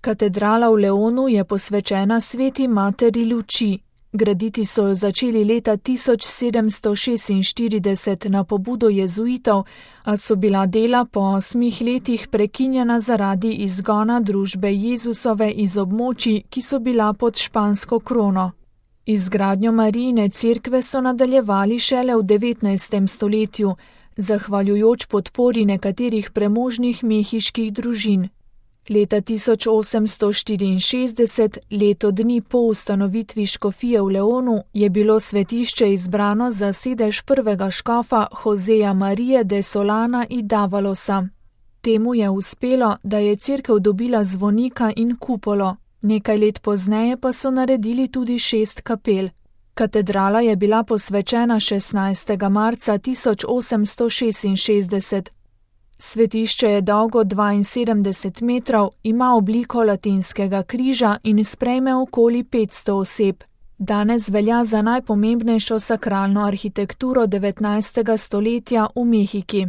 Katedrala v Leonu je posvečena Sveti Materi luči. Graditi so jo začeli leta 1746 na pobudo jezuitov, a so bila dela po 8 letih prekinjena zaradi izgona družbe Jezusove iz območij, ki so bila pod špansko krono. Izgradnjo Marijine cerkve so nadaljevali šele v 19. stoletju, zahvaljujoč podpori nekaterih premožnih mehiških družin. Leta 1864, leto dni po ustanovitvi škofije v Leonu, je bilo svetišče izbrano za sedež prvega škofa Joseja Marije de Solana in Davalosa. Temu je uspelo, da je cerkev dobila zvonika in kupolo. Nekaj let pozneje pa so naredili tudi 6 kapel. Katedrala je bila posvečena 16. marca 1866. Svetišče je dolgo 72 metrov, ima obliko latinskega križa in sprejme okoli 500 oseb. Danes velja za najpomembnejšo sakralno arhitekturo 19. stoletja v Mehiki.